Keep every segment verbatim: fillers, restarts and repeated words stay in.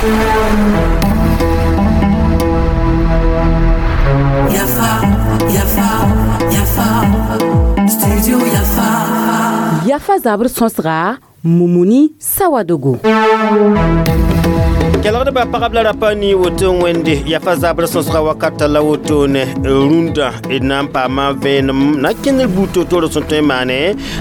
Yafa, Yafa, Yafa, Studio Yafa. Yafa zabr sõsga Mumuni Sawadogo. Kelgdbã pagb la rapa ni woto wẽnde yafa zabr sõsga wakata la wotone rũndã d na n paama vẽenem na kẽndr buud toor-toor sẽn tõe n maane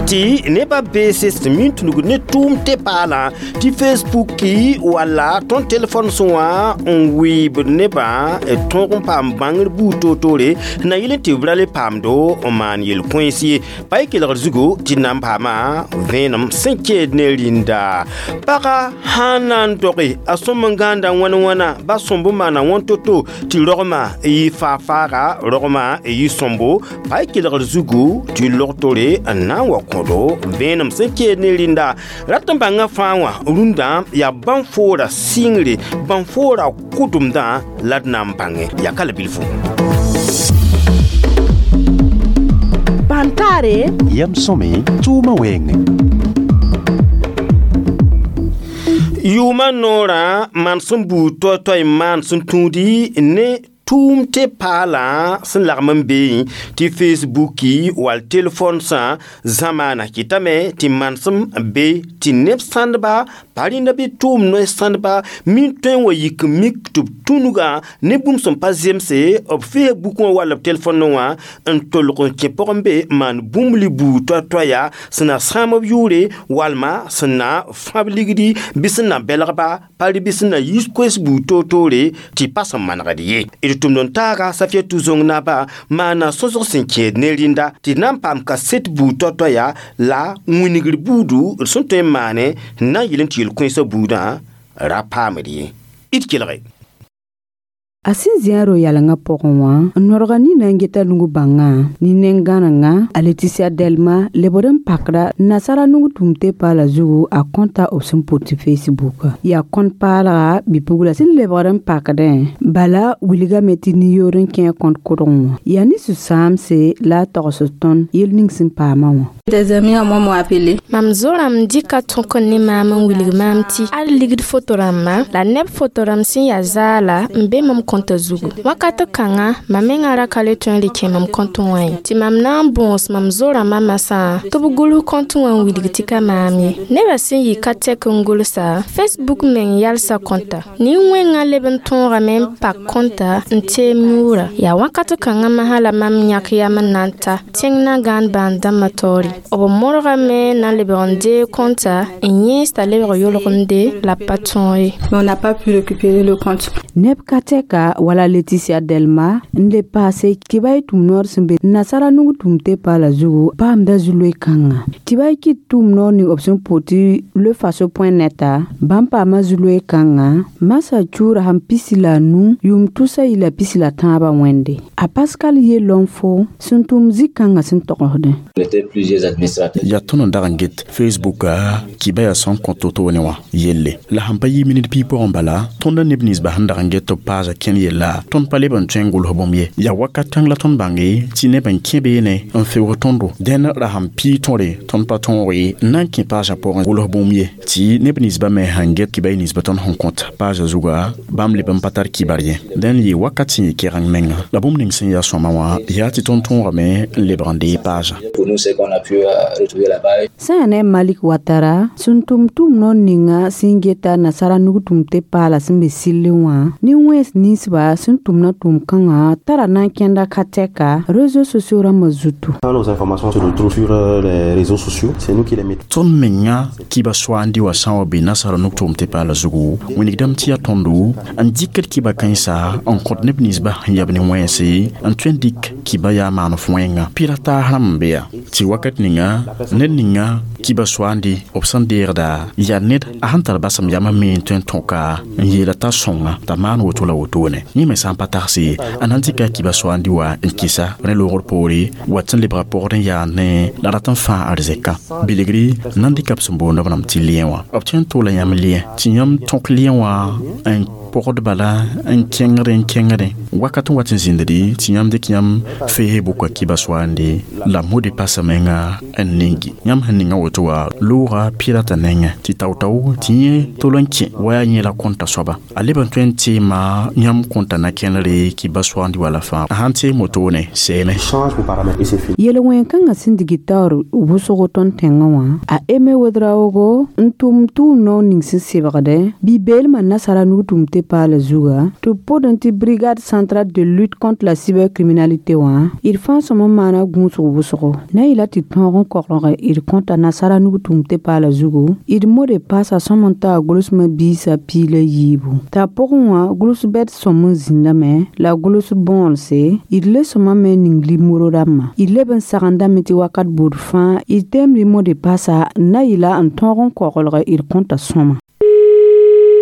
tɩ nebã beese sẽn min tũnugd ne tʋʋm tɩ paalã tɩ Facebooki walla tõnd telefon sẽ wã n wɩɩbd nebã tõog n paam bãngr buud toor-toore na yɩl n tɩ b ra le paamdo n maan yel-kõens ye pa y kelgr zugu tɩ d na n paama vẽenem sẽn keed ne rĩnda paga sãn na n doge a sõm n gãanda wãn wãna ba sõmb maana wãn to-to tɩ rogmã yɩ faag-faaga rogmã yɩ sõmbo pa y kelgr zugu tɩ log-tore n na n wa kõdo vẽenem sẽn keed ne rĩnda rat n bãngã fãa wã rũndã yaa bãn-foora sɩngre bãn-foora kʋdemdã la d na n bãngẽ yaa ka la bilfu. Bãntaare yam sõme tʋʋmã wɛɛngẽ. Yʋʋmã noorã maan sẽn buud toay-toay n maan sẽn tũudi ne tʋʋm tɩ paalã sẽn lagm n beẽ tɩ Facebooki wall telefonsã zãmaana kɩtame tɩ manesem be tɩ neb sãndba pa rẽnda bɩ tʋʋm noy-sãndba min tõe n wa yik n mik tɩ b tũnugã ne bũmb sẽn pa zemse b Facebook wã wall b telefonnẽ wã n tolg n kẽ pʋgẽ be n maan bũmb li buud toay-toaya sẽn na sãam b yʋʋre walma sẽn na fãb ligdi bɩ sẽn na belgba pa rɩ bɩ sẽn na yis koes buud toor-toore tɩ pa sẽn manegd ye. D tʋmd n taaga Safiatou Zong naba maana sõsg sẽn kẽed ne rĩnda tɩ d na n paam kaset buud toay-toaya la wĩnigr buudu d sẽn tõe n maane n na n yɩl n tɩ yel-kõensã buudã ra paamd ye. D kelge. A sẽn zĩ a ro-yalengã pʋgẽ wã n norga nina n geta nug bãngã ne nen-gãnengã a Leticia Delma lebd n pakda nasara nug tũum tɩ paala zugu a kõta b sẽn pʋt tɩ Facebook yaa kõnt paalga bi-pugla sẽn lebgd n pakdẽ bala wilgame tɩ nin-yoor n kẽ kõnt kʋdgẽ wã yaa ne sũ-sãamse la a togsd tõnd yel ning sẽn paamã wã. Des amis à moi m'ont appelé. Mam zo-rãmb dɩka tõk n ne maam n wilg maam tɩ al ligd foto rãmbã la neb foto rãmb sẽn yaa zaala n be mam kõnta zugu wakat kãngã mam mengã ra ka le tõe n rɩ kẽ mam kõnt wã ye tɩ mam na n bõos mam zo-rãmbã masã tɩ b gʋls kõnt wã n wilg tɩ ka maam ye nebã sẽn yɩ ka tɛk n gʋlsa Facebook meng yalsa kõnta nin-wẽngã leb n tõogame n pak kõnta n teem yʋʋra yaa wakat kãngã masã la mam yãk yam n na n ta tẽng na gãand bãan dãmbã taoore b modgame na n lebg n deeg kõnta n yẽes t'a lebg yolgemde la b pa tõog ye. Mais on n'a pas pu récupérer le compte. Neb ka tɛka wala Leticia Delma n le paase tɩ ba y tũum noor sẽn be nasara nug tũum tɩ paala zugu paamda zu-loe kãnga tɩ ba y kɩt tũum noor ning b sẽn pʋt tɩ lefaso point neta bãmb paama zu-loe kãnga masã cuura sẽn pisi la a nu yʋʋm tʋsa yɩ la pisi la tãabã wẽnde a Pascal Yelonfo sẽn tʋm zĩ-kãngã sẽn togsdẽ. Yaa tõnd n dag n get Facebooka kɩba yaa sẽn kõ to-to ne wã yelle la sẽn pa yɩ minit piig pʋgẽ bala tõnd neb ninsba sẽn dag n get tɩ b paasa kẽn yella tõnd pa leb n tõe n gʋls bũmb ye yaa wakat kãng la tõnd bãnge tɩ neb n kẽ beene n feoog tõndo dẽn ra sẽn pii tõre tõnd pa tõog ye n na n kẽ paasã pʋgẽ gʋls bũmb ye tɩ neb ninsba me sãn get kɩba y ninsba tõnd sẽn kõt paasã zuga bãmb leb n pa tar kibar ye dẽn yɩ wakat sẽn yɩ kɛgeng menga la bũmb ning sẽn yaa sõma wã yaa tɩ tõnd tõogame n lebg n dee paasã. Sẽn yaa ne Malik Watara sẽn tʋm tʋʋm noor ninga sẽn geta nasara nug tũum tɩ paala sẽn be sɩllẽ wã ne wẽns ninsba sẽn tʋmna tʋʋm kãngã tara na n kẽnda ka tɛka réseaux sociaux rãmbã zutu. Nos informations se retrouvent sur les réseaux sociaux, c'est nous qui les mettons. Tõnd menga kɩba soaandi wã sã n wa be nasara nug tʋʋm tɩ paala zugu wĩnigdame tɩ yaa tõndo n dɩkd kɩba kãensa n kõt neb ninsba sẽn yab ne wẽnse n tõe n dɩk kɩba yaa maan f wẽnga pɩra taas rãmb n be yaa tɩ wakat ninga ned ninga kɩba soaandi b sẽn deegda yaa ned a sẽn tar basem yam me n tõe n tõka n yeela t'a sõnga t'a maan woto la wotone. wone yẽ me sã n pa tagse a na n dɩka a kiba soaandi wa n kɩsa rẽ loogr poore wat sẽn lebga pɔgd n yaa ne la rat n fãa arzɛka bilgri na n dɩka b sẽn boond b rãmb tɩ lien wã b tõe n toola yãmb lien tɩ yãmb tõk lien wã n pɔgd bala n kẽngdẽ n kẽngdẽ wakat n wat n zĩnddi tɩ yãmb dɩk yãmb Facebook kiba soaande la mot de passe menga n ningi yãmb sẽn ninga woto wa loogã pirata nengẽ tɩ tao-tao tɩ yẽ tol n kẽ wa yaa yẽ la kõnta soaba a leb n tõe n teema yãmb kõnta na kẽnere kiba soaandi wala fãa a sãn teem wotone seeme Change vos paramètres et c'est fini. Yel-wẽn-kãngã sẽn dig taoor wʋsgo tõnd tẽngã wã a Eme Wedraogo n tʋm tʋʋm nao ning sẽn sebgdẽ bi-beelmã nasara nug tʋm tɩ paala zuga tɩ b pʋdẽ tɩ brigade centrale de lutte contre la cybercriminalité wã d fãa sõm n maana gũusg wʋsgo na yɩla tɩ tõog n koglg d kõta nasara nug tʋm tɩ paala zugu d mot de passe sõm n taa gʋlsmã biisã piig la yiibu t'a pʋgẽ wã gʋls bɛd sõm n zĩndame la gʋls bõolse d le sõma me ning limoro rãmbã d leb n sagendame tɩ wakat buud fãa d teemd mot de passe na yɩla n tõog n koglg d kõta sõma.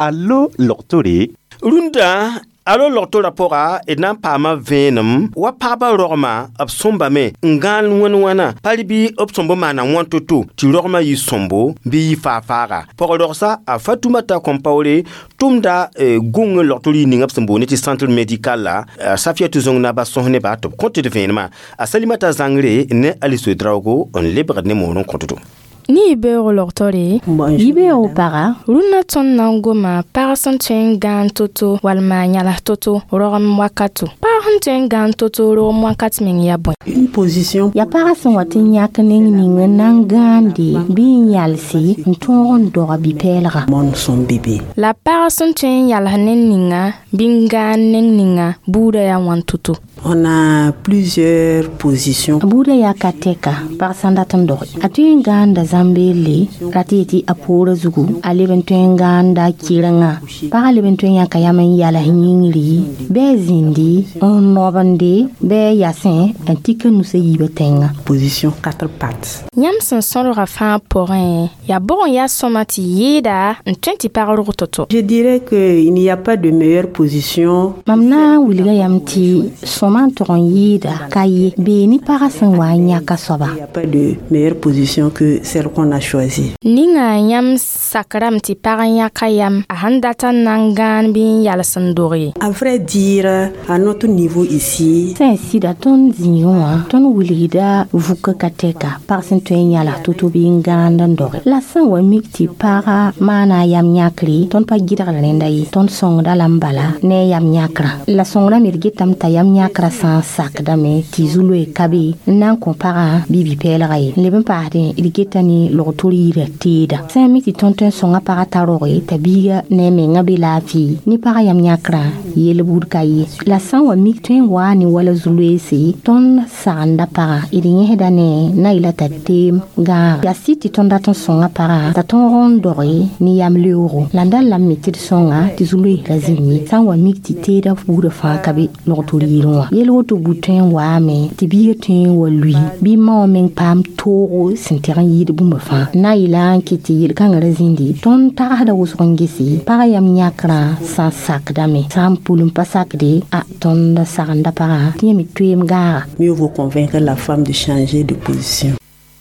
Allo logtore. Rũndã alo logtorã pʋga d na n paama vẽenem wa pagba rogmã b sõmbame n gãal wẽn wãna pa bɩ b sõmb maana wãn to-to tɩ rogmã yɩ sõmbo bɩ yɩ faa-faaga pɔg-rogsa a Fatumata Kɔmpaoore tʋmda gõng logtor yir ninga b sẽn boond tɩ centre médical la Safiatou Zõng naba sõs nebã tɩ b kõt d vẽenemã a Salimata Zãngre ne Alice Draogo n lebgd ne moor n kõtdo. Ni yibeoogo logtore. Yibeoogo paga. Rũnnã tõnd na n goma pag sẽn tõe n gãan to-to walma yãls to-to rogem wakato. Pag sẽn tõe n gãan to-to rogem wakat meng yaa bõe? Une position. Yaa pagã sẽn wat n yãk neng ning n na n gãande bɩ n yalse n tõog n doga bi-pɛɛlga. Mon son bébé. La pag sẽn tõe n yals neng ninga bɩ n gãan neng ninga buudã yaa wãn to-to? On a plusieurs positions. Buudã yaa ka tɛka pag sã n dat n doge. A tõe n gãanda zãmbeelle rat yetɩ a poorã zugu a leb n tõe n gãanda kɩrengã pagã leb n tõe n yãka yam n yals yĩngri bɩ a zĩndi n nobende bɩ a yasẽ n tik a nusã yiibã tẽngã. Position quatre pattes. Yãmb sẽn sõdga fãa pʋgẽ yaa bʋg n yaa sõma tɩ yɩɩda n tõe tɩ pag rog to-to? Je dirais qu'il n'y a pas de meilleure position. Mam na n wilga yam tɩ sõma n tʋg n yɩɩda ka ye bee ne pagã sẽn wa n yãka soaba. Il n'y a pas de meilleure position que celle qu'on a choisie. Ninga yãmb sakrame tɩ pag n yãka yam a sẽn dat n na n gãan bɩ n yals n dog ye. À vrai dire, à notre niveau ici, sẽn sɩda tõnd zĩigẽ wã tõnd wilgda vukã ka tɛka pag sẽn tõe n yals to-to bɩ n gãand n doge la sẽn wa mik tɩ pagã maana a yam yãkre tõnd pa gɩdgd rẽnda ye tõnd sõngda lame bala ne a yam yãkrã la sõngrã me d getame t'a yam yãkrã sã n sakdame tɩ zu-loe ka be n na n kõ pagã bɩ bi-pɛɛlga ye n leb n paasdẽ d geta ne logtor yirã teeda sã n mi tɩ tõnd tõe n sõnga pagã t'a roge t'a biiga ne a menga be laafɩ ne pagã yam yãkrã yel buud ka ye la sã n wa mik tõe n waa ne wala zu-loeese tõnd sagenda pagã d yẽsda ne na yɩla t'a teem gãag yaa sɩd tɩ tõnd dat n sõnga pagã t'a tõog n doge ne yam leoogo la n da lame me tɩ d sõnga tɩ zu-loees ra zĩnd ye sã n wa mik tɩ teeda buudã fãa ka be logtor yirẽ wã yel woto buud tõe n waame tɩ biiga tõe n wa lui bɩ ma wã meng paam toogo sẽn tɛg n yɩɩd bũmba fãa na yɩla n kɩt tɩ yel-kãngã ra zĩndi tõnd tagsda wʋsg n gese pagã yam yãkrã sã n sakdame sã n pul n pa sakde a tõnd sagenda pagã tɩ yẽ me toeem gãaga. Mieux vaut convaincre la femme de changer de position.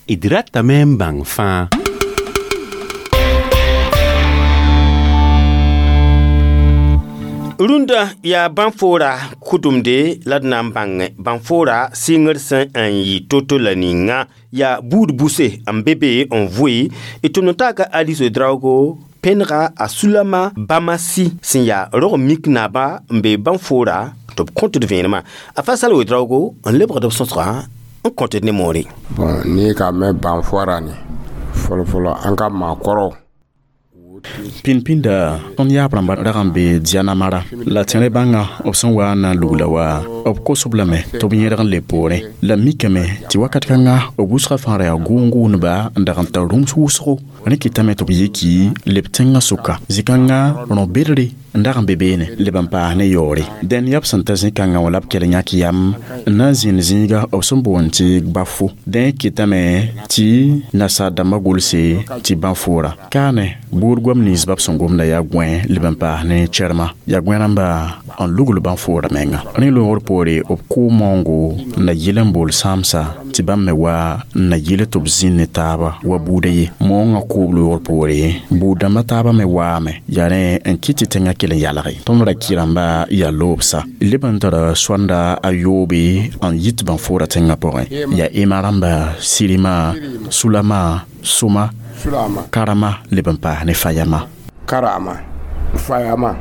D ratame n bãng fãa. Rũndã yaa bãn-foora kʋdemde la d na n bãngẽ bãn-foora sɩngr sẽn n yɩ to-to la ninga yaa buud buse n be be n vʋɩ d tʋmd n taaka Alice Draogo pẽnega a Sulama Bamasi sẽn yaa rog mik naaba n be bãn-foora tɩ b kõt d vẽenemã a Fasal Wedraogo n lebgd b sõsgã n kõt d ne moore. Bon n'i ka mɛn banfɔra ni fɔlɔfɔlɔ an ka maakɔrɔw. Pĩnd-pĩnda tõnd yaab rãmba rag n be Dianamara la tẽrẽ bãnga b sẽn wa n na n lugla wa B kos-b lame tɩ b yẽdg n le poorẽ. La mikame tɩ wakat kãnga b wʋsgã fãa ra yaa gʋʋn-gʋʋndba n dag n tar rũms wʋsgo. Rẽ kɩtame tɩ b yiki leb tẽngã sʋka. Zĩ-kãngã rõ-bedre n dag n be beene leb n paas ne yaoore. Dẽn yaa b sẽn ta zĩ-kãngã wã la b kell n yãk yam n na n zĩnd zĩiga b sẽn boond tɩ Gbafo. Dẽ kɩtame tɩ nasaar dãmbã gʋlse tɩ bãn-foora. Kaane buud goam nins b sẽn gomda yaa gõe leb n paas ne cɛrma. Yaa gõe rãmba n lugl bãn-foora menga. Rẽ loogr poore b kʋʋ maoongo n na yɩl n bool sãamsa tɩ bãmb me wa n na yɩl tɩ b zĩnd ne taaba wa buuda ye. Moongã kʋʋb loogr poore buud-dãmbã taabã me waame yaa rẽ n kɩt tɩ tẽngã kell n yalge. Tõnd ra kɩ rãmba yaa loobsa. Leb n tara soanda a yoobe n yit bãn-foora tẽngã pʋgẽ. Yaa ema rãmba, sirima, sulama, soma, karama leb n paas ne fayama. Karama, fayama.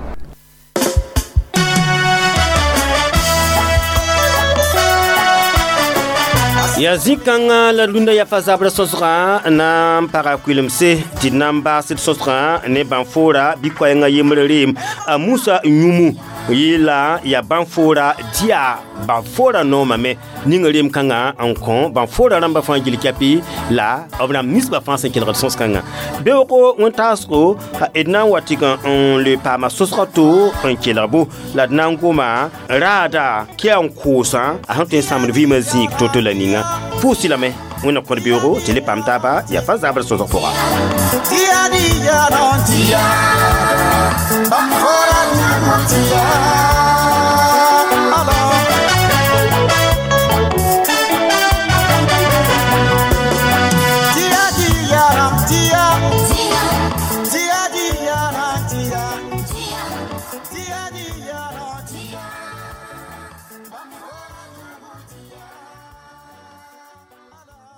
Yaa zĩ-kãngã la rũndã yaa fa zabrã sõsgã na n paga kʋɩlemse tɩ d na n baasd sõsgã ne bãn-foora bɩ koɛɛngã yembr reem. A Musa Yũmu yeela yaa bãn-foora dia bãn-foora noomame ning reem kãngã n kõ bãn-foora rãmbã fãa gil kɛpɩ la b rãmb ninsbã fãa sẽn kelgd sõs-kãngã. Beoogo wẽn-taasgo d na n wa tɩg n le paama sõsgã to n kelg-bo la d na n goma raada kia n koosã a sẽn tõe n sãamd vɩɩmã zĩig to-to la ninga. Pʋʋs lame wẽnna kõd beoogo tɩ le paam taaba yaa fa zabr sõsg pʋga.